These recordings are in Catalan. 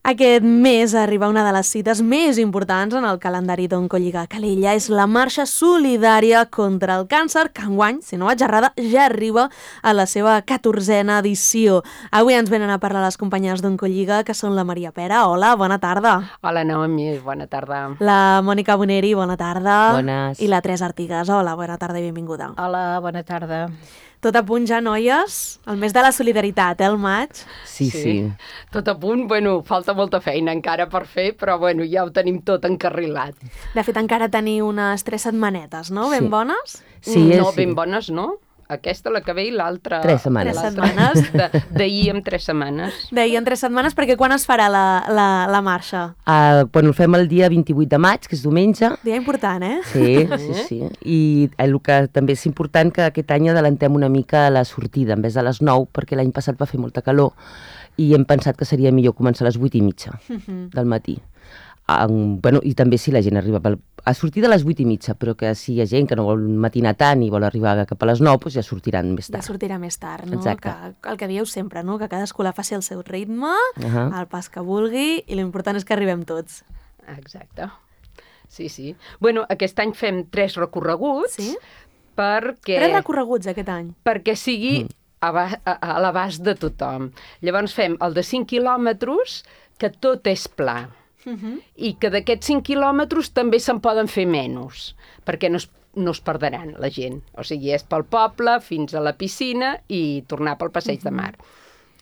Aquest mes arriba una de les cites més importants en el calendari d'Oncolliga Calella. És la marxa solidària contra el càncer, que enguany, si no vaig errada, ja arriba a la seva 14a edició. Avui ens venen a parlar les companyes d'Oncolliga, que són la Maria Pera. Hola, bona tarda. Hola, Naomi, bona tarda. La Mònica Boneri, bona tarda. Bones. I la Teresa Artigas. Hola, bona tarda i benvinguda. Hola, bona tarda. Tot a punt ja, noies? El mes de la solidaritat, el maig? Sí. Tot a punt, falta molta feina encara per fer, però ja ho tenim tot encarrilat. De fet, encara teniu unes 3 setmanetes, no? Ben bones? Sí, No, ben bones, no? Aquesta, la que ve, i l'altra... 3 setmanes. 3 setmanes. D'ahir amb 3 setmanes. Deien 3 setmanes, perquè quan es farà la marxa? Bueno, el fem el dia 28 de maig, que és diumenge. Dia important, eh? Sí. I el que també és important que aquest any adelantem una mica la sortida, en vez de les 9, perquè l'any passat va fer molta calor i hem pensat que seria millor començar a les 8:30 del matí. I també si la gent arriba a sortir de les 8:30, però que si hi ha gent que no vol matinar tant i vol arribar cap a les 9, doncs ja sortiran més tard. Ja sortirà més tard, no? Exacte. Que el que dieu sempre, no? Que cadascú la faci al seu ritme, Uh-huh. al pas que vulgui, i l'important és que arribem tots. Exacte. Sí. Aquest any fem 3 recorreguts. Sí? Perquè... 3 recorreguts aquest any. Perquè sigui a l'abast de tothom. Llavors fem el de 5 quilòmetres, que tot és pla. I que d'aquests 5 quilòmetres també se'n poden fer menys, perquè no es perdran la gent. O sigui, és pel poble fins a la piscina i tornar pel passeig de mar.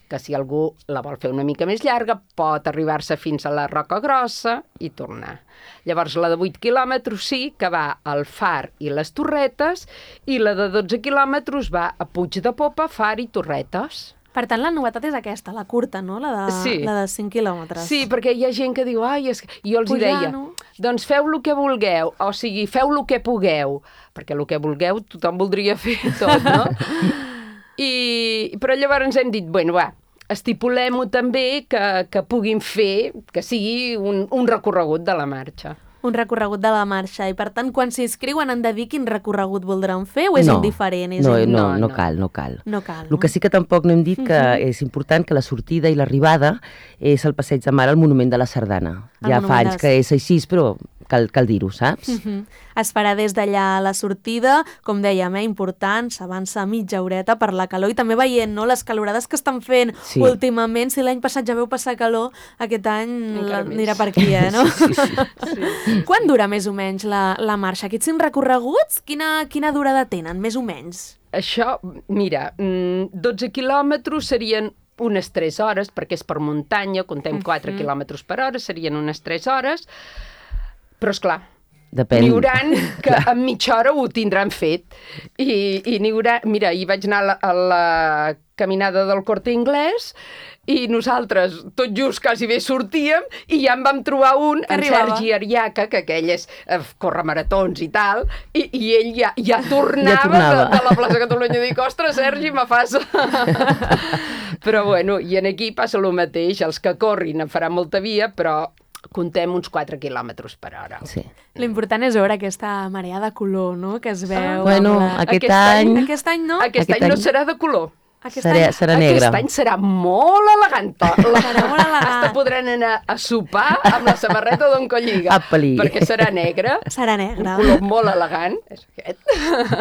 Que si algú la vol fer una mica més llarga, pot arribar-se fins a la Roca Grossa i tornar. Llavors, la de 8 quilòmetres sí que va al Far i les Torretes, i la de 12 quilòmetres va a Puig de Popa, Far i Torretes. Per tant, la novetat és aquesta, la curta, no? La de 5 quilòmetres. Sí, perquè hi ha gent que diu, jo els hi deia, doncs feu el que vulgueu, o sigui, feu el que pugueu, perquè el que vulgueu tothom voldria fer tot, no? Però llavors hem dit, estipulem-ho també que puguin fer, que sigui un recorregut de la marxa. Un recorregut de la marxa, i per tant, quan s'inscriuen han de dir quin recorregut voldran fer, o és indiferent? No cal. No cal, no? El que sí que tampoc no hem dit que és important que la sortida i l'arribada és el passeig de mar al Monument de la Sardana. Ja fa anys que és així, però cal dir-ho, saps? Es farà des d'allà la sortida, com dèiem, important, s'avança mitja horeta per la calor, i també veient, no?, les calorades que estan fent últimament. Si l'any passat ja veu passar calor, aquest any anirà per aquí, no? Sí. Quan dura més o menys la marxa? Aquests 5 recorreguts, quina durada tenen, més o menys? Això, mira, 12 quilòmetres serien unes 3 hores, perquè és per muntanya, comptem 4 quilòmetres per hora, serien unes 3 hores, però esclar, n'hi haurà que en mitja hora ho tindran fet. I n'hi haurà... Mira, hi vaig anar a la caminada del Corte Inglés i nosaltres tot just quasi bé sortíem i ja en vam trobar un, en Sergi Ariaca, que aquell és corre maratons i tal, i ell ja tornava de la plaça Catalunya. Dic, ostres, Sergi, me fas... Però i aquí passa el mateix. Els que corrin en faran molta via, però comptem uns 4 quilòmetres per hora. Sí. L'important és veure aquesta marea de color, no?, que es veu. Aquest any... Aquest any no? Aquest any no serà de color. Serà negra. Aquest any serà molt elegant. Serà molt elegant. Hasta podran anar a sopar amb la samarreta d'Oncolliga. Perquè serà negra. Serà negra. Un color molt elegant. És aquest.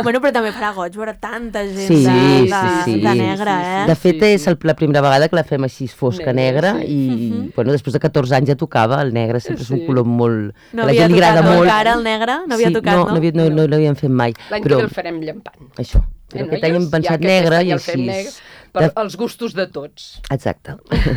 Però també farà goig veure tanta gent de negra, eh? De fet, és la primera vegada que la fem així fosca negra i després de 14 anys ja tocava. El negre sempre és un color molt... No havia tocat encara el negre? No havia tocat, no? No l'havíem fet mai. L'any que ve el farem llampant. Això. Però aquest any hem pensat negre i així... Per als gustos de tots. Exacte.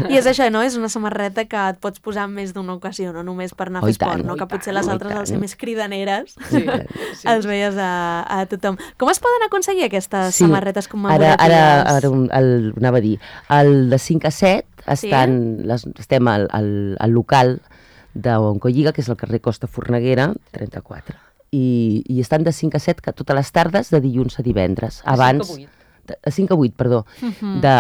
I és això, no? És una samarreta que et pots posar en més d'una ocasió, no només per anar a fer esport, no? Que potser les altres, al ser més cridaneres, els veies a tothom. Com es poden aconseguir aquestes samarretes commemoratives? Ara anava a dir, el de 5 a 7 estem al local d'Oncolliga, que és el carrer Costa Forneguera, 34. I estan de 5 a 7 totes les tardes, de dilluns a divendres. Abans, a 5 a 8, perdó,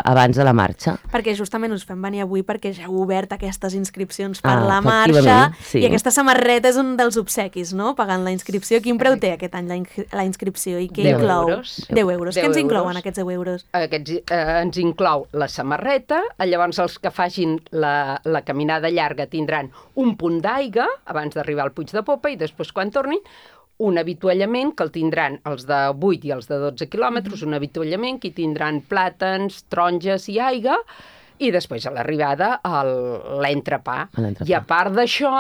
abans de la marxa. Perquè justament us fem venir avui perquè ja heu obert aquestes inscripcions per la efectivament, marxa, sí. I aquesta samarreta és un dels obsequis, no?, pagant la inscripció. Quin preu té aquest any la inscripció i què 10 inclou? euros. 10 euros. Què ens inclouen aquests 10 euros? Ens inclou la samarreta, llavors els que facin la caminada llarga tindran un punt d'aigua abans d'arribar al Puig de Popa i després quan tornin un avituallament que el tindran els de 8 i els de 12 quilòmetres, un avituallament que hi tindran plàtans, taronges i aigua, i després a l'arribada l'entrepà. I a part d'això,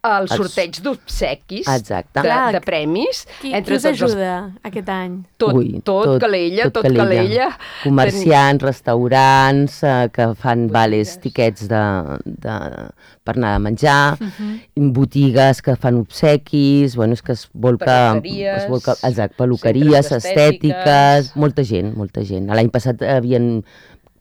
el sorteig d'obsequis, de premis. Qui us ajuda aquest any? Tot Calella. Comerciants, restaurants, que fan vales, tiquets per anar a menjar, botigues que fan obsequis, és que es volca... Peluqueries, estètiques, molta gent. L'any passat havien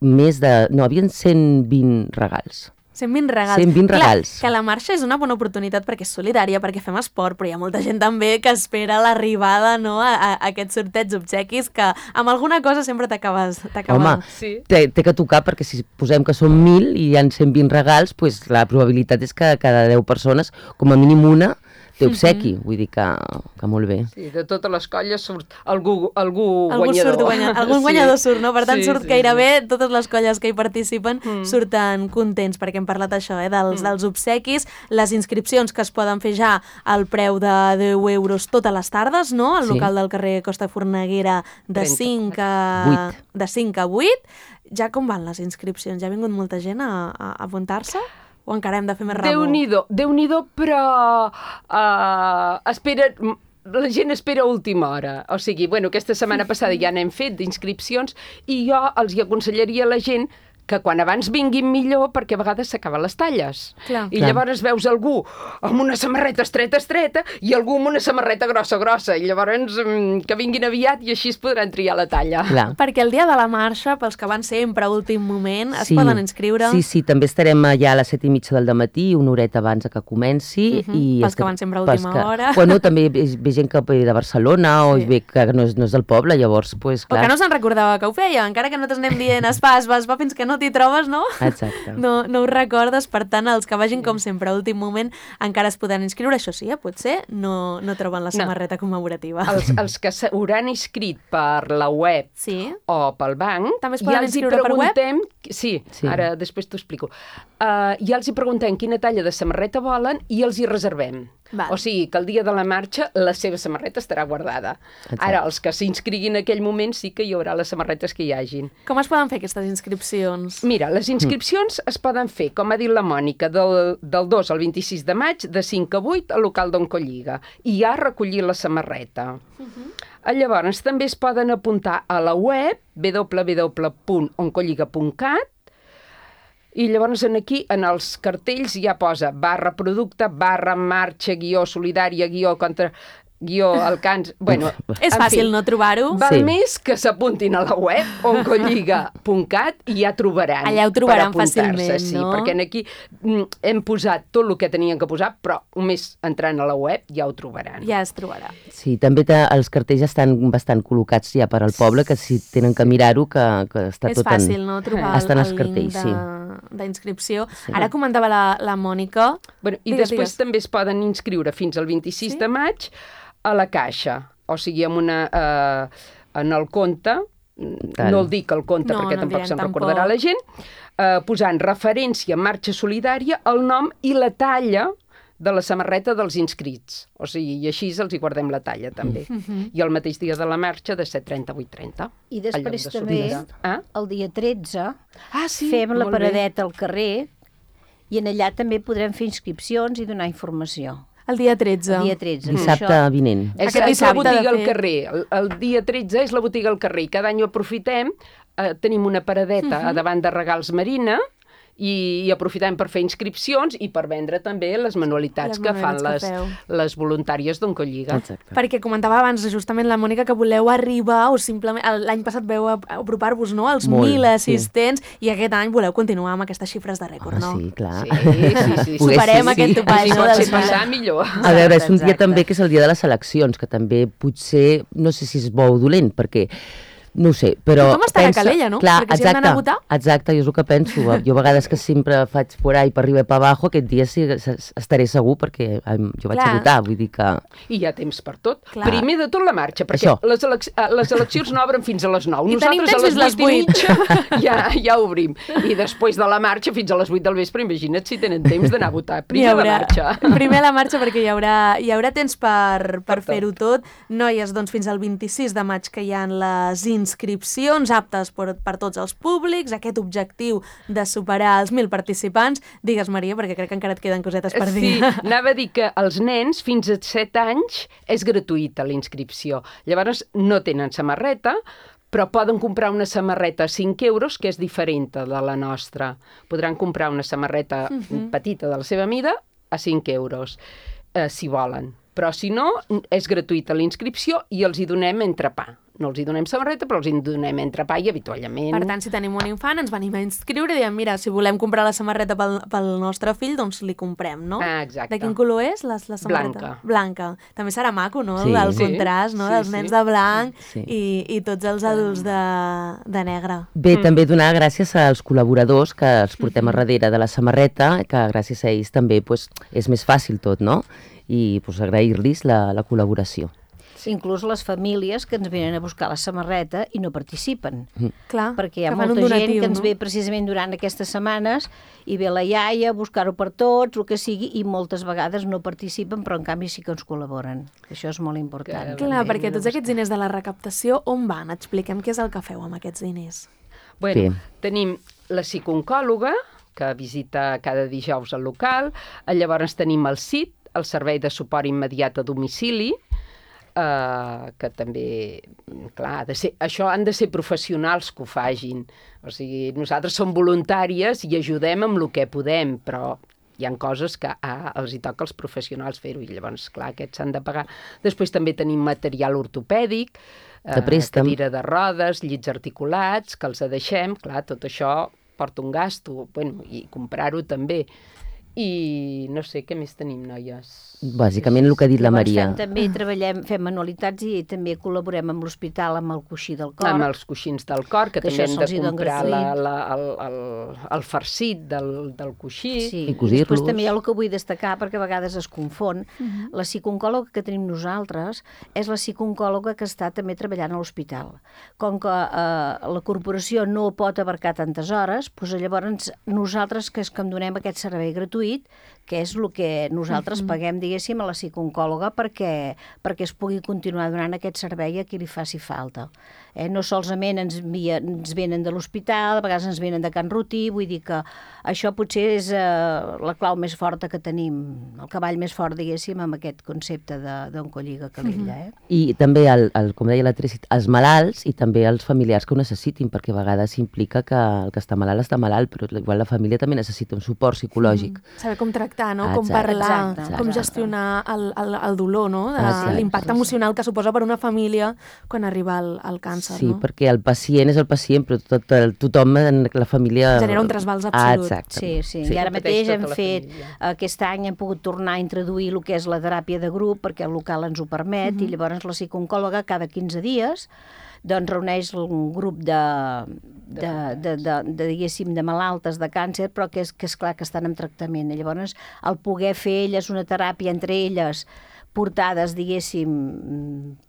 120 regals. 120 regals. 120 regals. Clar, que la marxa és una bona oportunitat perquè és solidària, perquè fem esport, però hi ha molta gent també que espera l'arribada, no?, a aquests sorteig d'obsequis que amb alguna cosa sempre t'acabes... Home, té que tocar perquè si posem que són 1.000 i hi ha 120 regals, doncs la probabilitat és que cada 10 persones, com a mínim una, té obsequi, vull dir que molt bé. Sí, de totes les colles surt algú guanyador. Algun guanyador surt, no? Per tant, surt gairebé totes les colles que hi participen surten contents, perquè hem parlat això, dels obsequis, les inscripcions que es poden fer ja al preu de 10 euros totes les tardes, no? Al local del carrer Costa Forneguera de 5 a 8. Ja com van les inscripcions? Ja ha vingut molta gent a apuntar-se? O encara hem de fer més rabo? Déu-n'hi-do, però la gent espera a última hora. O sigui, aquesta setmana passada ja n'hem fet d'inscripcions i jo els hi aconsellaria a la gent que quan abans vinguin millor, perquè a vegades s'acaben les talles. I llavors veus algú amb una samarreta estreta i algú amb una samarreta grossa. I llavors que vinguin aviat i així es podran triar la talla. Perquè el dia de la marxa, pels que van sempre a últim moment, es poden inscriure. Sí, també estarem allà a les 7:30 del matí, una horeta abans que comenci. Pels que van sempre a última hora. També ve gent que ve de Barcelona o ve que no és del poble, llavors, clar. O que no se'n recordava que ho feia, encara que nosaltres anem dient es va fins que no t'hi trobes, no? Exacte. No ho recordes, per tant, els que vagin com sempre a últim moment encara es poden inscriure, això sí, potser no troben la samarreta commemorativa. Els que s'hauran inscrit per la web o pel banc, també es poden inscriure per web? Sí, ara després t'ho explico. Ja els hi preguntem quina talla de samarreta volen i els hi reservem. O sigui que el dia de la marxa la seva samarreta estarà guardada. Ara, els que s'inscriguin en aquell moment sí que hi haurà les samarretes que hi hagin. Com es poden fer aquestes inscripcions? Mira, les inscripcions es poden fer, com ha dit la Mònica, del 2 al 26 de maig, de 5 a 8, al local d'Oncolliga. I ja recollir la samarreta. Llavors, també es poden apuntar a la web www.oncolliga.cat i llavors aquí, en els cartells, ja posa /producte, /marxa, /solidària, /contra... el cans... És fàcil no trobar-ho. Val més que s'apuntin a la web oncolliga.cat i ja trobaran. Allà ho trobaran fàcilment, sí, perquè aquí hem posat tot el que tenien que posar, però només entrant a la web ja ho trobaran. Ja es trobarà. Sí, també els cartells estan bastant col·locats ja per al poble, que si tenen que mirar-ho, que està tot en... És fàcil, no?, trobar el link d'inscripció. Ara comentava la Mònica... I després també es poden inscriure fins al 26 de maig a la caixa, o sigui, en el compte, no el dic el compte perquè tampoc se'n recordarà la gent, posant referència marxa solidària, el nom i la talla de la samarreta dels inscrits. O sigui, i així els hi guardem la talla, també. I el mateix dia de la marxa, de 7:30 a 8:30. I després també, el dia 13, fem la paradeta al carrer i en allà també podrem fer inscripcions i donar informació. El dia 13. Dissabte vinent. És la botiga al carrer. El dia 13 és la botiga al carrer. I cada any ho aprofitem. Tenim una paradeta davant de Regals Marina i aprofitem per fer inscripcions i per vendre també les manualitats que fan les voluntàries d'Oncolliga. Perquè comentava abans justament la Mònica que voleu arribar o simplement l'any passat veu apropar-vos als 1.000 assistents i aquest any voleu continuar amb aquestes xifres de rècord, no? Sí, clar. Sí. Superem aquest topall. Si pot ser passar, millor. A veure, és un dia també que és el dia de les eleccions, que també potser, no sé si és bo o dolent, perquè No ho sé, però... Com estarà Calella, no? Clar, perquè si hem d'anar a votar... Exacte, jo és el que penso. Jo a vegades que sempre faig por ahí per arriba i per abajo, aquest dia sí estaré segur perquè jo vaig a votar, vull dir que... I hi ha temps per tot. Clar. Primer de tot la marxa, perquè les eleccions no obren fins a les 9. I nosaltres a les 8:30 ja obrim. I després de la marxa fins a les 8 del vespre, imagina't si tenen temps d'anar a votar. Primer la marxa. Primer la marxa perquè hi haurà temps per fer-ho tot. Noies, doncs fins al 26 de maig que hi ha les inscripcions aptes per tots els públics, aquest objectiu de superar els 1.000 participants. Digues, Maria, perquè crec que encara et queden cosetes per dir. Sí, anava a dir que els nens fins a 7 anys és gratuïta la inscripció. Llavors no tenen samarreta, però poden comprar una samarreta a 5 euros, que és diferent de la nostra. Podran comprar una samarreta petita de la seva mida a 5 euros, si volen. Però si no, és gratuïta la inscripció i els hi donem entrepà. No els hi donem samarreta, però els hi donem entrepà i avituallament. Per tant, si tenim un infant, ens venim a inscriure i diem, mira, si volem comprar la samarreta pel nostre fill, doncs li comprem, no? Exacte. De quin color és la samarreta? Blanca. També serà maco, no? Sí. El contrast, no? Dels nens de blanc i tots els adults de negre. Bé, també donar gràcies als col·laboradors que els portem a darrere de la samarreta, que gràcies a ells també és més fàcil tot, no? I agrair-los la col·laboració. Inclús les famílies que ens venen a buscar la samarreta i no participen. Clar, perquè hi ha molta gent que ens ve precisament durant aquestes setmanes i ve la iaia a buscar-ho per tots, el que sigui, i moltes vegades no participen, però en canvi sí que ens col·laboren. Això és molt important. Clar, perquè tots aquests diners de la recaptació on van? Expliquem què és el que feu amb aquests diners. Bueno, tenim la psicooncòloga, que visita cada dijous al local, llavors tenim el CIT, el Servei de Suport Immediat a Domicili, que també, clar, això han de ser professionals que ho facin. O sigui, nosaltres som voluntàries i ajudem amb el que podem, però hi ha coses que els hi toca als professionals fer-ho i llavors, clar, aquests s'han de pagar. Després també tenim material ortopèdic, cadira de rodes, llits articulats, que els deixem, clar, tot això porta un gasto, bueno, i comprar-ho també. I no sé, què més tenim, noies? Bàsicament el que ha dit la Maria. També fem manualitats i també col·laborem amb l'hospital amb el coixí del cor. Amb els coixins del cor, que també hem de comprar el farcit del coixí. Sí, i després també hi ha el que vull destacar, perquè a vegades es confon. La psicooncòloga que tenim nosaltres és la psicooncòloga que està també treballant a l'hospital. Com que la corporació no pot abarcar tantes hores, doncs llavors nosaltres que em donem aquest servei gratuït, que és el que nosaltres paguem, diguéssim, a la psicooncòloga perquè es pugui continuar donant aquest servei a qui li faci falta. No solament ens venen de l'hospital, a vegades ens venen de Can Rutí, vull dir que això potser és la clau més forta que tenim, el cavall més fort, diguéssim, amb aquest concepte d'Oncolliga Calella. I també, com deia la Tracy, els malalts i també els familiars que ho necessitin, perquè a vegades implica que el que està malalt, però igual la família també necessita un suport psicològic. Saber com tractar, no? Com parlar, com gestionar el dolor, no? L'impacte emocional que suposa per una família quan arriba el càncer. Sí, perquè el pacient és el pacient, però tothom en la família... Genera un trasbals absolut. Exacte. Sí. I ara mateix hem fet, aquest any hem pogut tornar a introduir el que és la teràpia de grup, perquè el local ens ho permet, i llavors la psicooncòloga cada 15 dies doncs reuneix un grup diguéssim, de malaltes de càncer, però que és clar que estan en tractament. I llavors, el poder fer elles una teràpia entre elles, portades, diguéssim,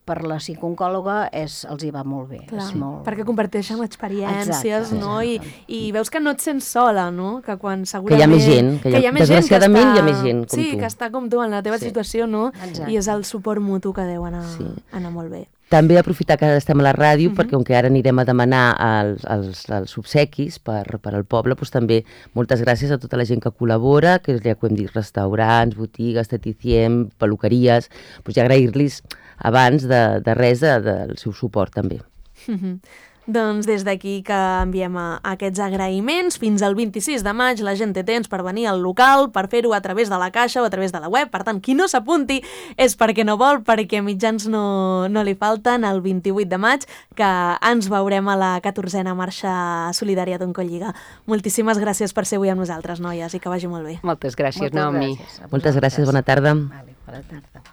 per la psicooncòloga, els hi va molt bé. Clar, perquè comparteixen experiències, no? I veus que no et sents sola, no? Que quan segurament... Que hi ha més gent, desgraciadament hi ha més gent com tu. Sí, que està com tu en la teva situació, no? I és el suport mutu que deu anar molt bé. També aprofitar que estem a la ràdio, perquè com que ara anirem a demanar els obsequis per al poble, doncs també moltes gràcies a tota la gent que col·labora, que ja ho hem dit, restaurants, botigues, esteticiem, peluqueries, doncs ja agrair-los abans de res del seu suport també. Doncs des d'aquí que enviem aquests agraïments. Fins al 26 de maig la gent té temps per venir al local, per fer-ho a través de la caixa o a través de la web. Per tant, qui no s'apunti és perquè no vol, perquè mitjans no li falten. El 28 de maig que ens veurem a la 14a Marxa Solidària d'Oncolliga. Moltíssimes gràcies per ser avui amb nosaltres, noies, i que vagi molt bé. Moltes gràcies, Naomi. Moltes gràcies, bona tarda. Bona tarda.